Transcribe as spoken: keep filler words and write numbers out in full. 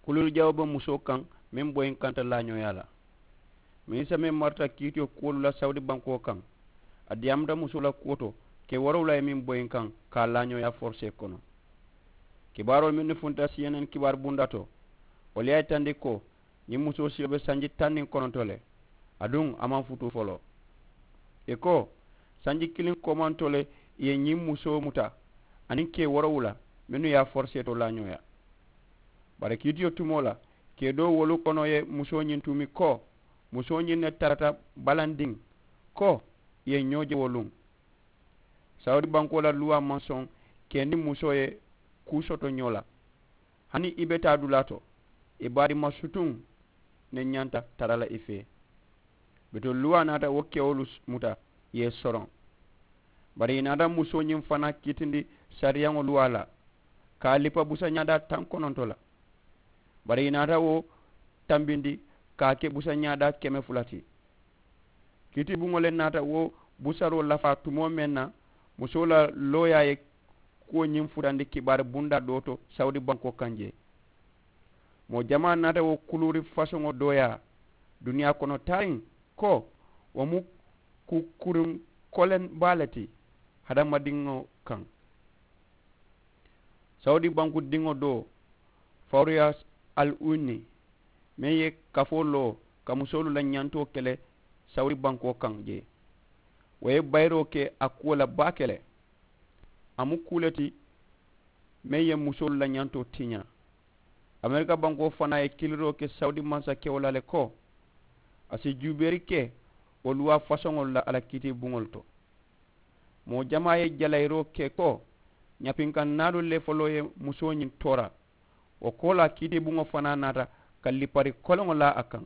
Kuluuri jawoo be musoo kaŋ meŋ boyinkanta laañooyaa la. Minisita meŋ marata kiitiyo kuwolu la sawudi bankoo kaŋ, a diyaamuta musoo la kuwo to, kee woorowula ye meŋ boyinkaŋ ka a laañooyaa forisee kono. Kibaaroo mennu funta siyeenen kibaaru bundaa to, wolu ye a yitandi ko ñiŋ musoo siyo be sanji taŋ niŋ kononto le, aduŋ a maŋ futuu foloo. Ì ko, sanji kiliŋ koomantoo le ì ye ñiŋ musoo muta, aniŋ kee woorowula mennu ye a forisee to laañooyaa. Bari kiitiyo tumoo la, kee doo wolu kono ye musoo ñiŋ tuumi ko, musoo ñiŋ ne tarata balandiŋ, ko ì ye ñoo je wo luŋ. Sawudi bankoo la luwaa maŋ soŋ kee niŋ musoo ye kuu soto ñoo la. Hani i be taa dulaa to, i baadima sutuŋ ne ñanta tara la i fee. Bituŋ luwaa naata wo kewolu muta ì ye soroŋ. Bari ì naata musoo ñiŋ fanaa kiitindi sariyaŋo luwaa la, ka a lipa busañaadaa taŋ kononto la. Bari ì naata wo tambindi ka a ke busañaadaa keme fula ti. Kiitibuŋo le naata wo busaroo lafaa tumoo meŋ na, musoo la looyaa ye kuwo ñiŋ futandi kibaari bundaa doo to sawudi bankoo kaŋ jee. Moo jamaa naata wo kuluuri fasoŋo dooyaa duniyaa kono taariŋ, ko wo mu kukuriŋ koleŋ baa le ti hadamadiŋo kaŋ. Sawudi banku diŋo doo, fawuriyas al unni, meŋ ye kafoo loo ka musoolu la ñantoo kele sawudi bankoo kaŋ jee, wo ye bayiroo ke a kuwo la baake le. A mu kuu le ti meŋ ye musoolu la ñantoo tiñaa. Amerika bankoo fanaa ye kiliroo ke sawudi mansakewo la le ko a si juubeeri ke wo luwaa fasoŋolu la a la kiitiibuŋolu to. Moo jamaa ye jalayiroo ke ko ñapinkannaalu le foloo ye musoo ñiŋ toora. Wo koolaa kiitiibuŋo fanaa naata ka lipari koleŋo laa a kaŋ.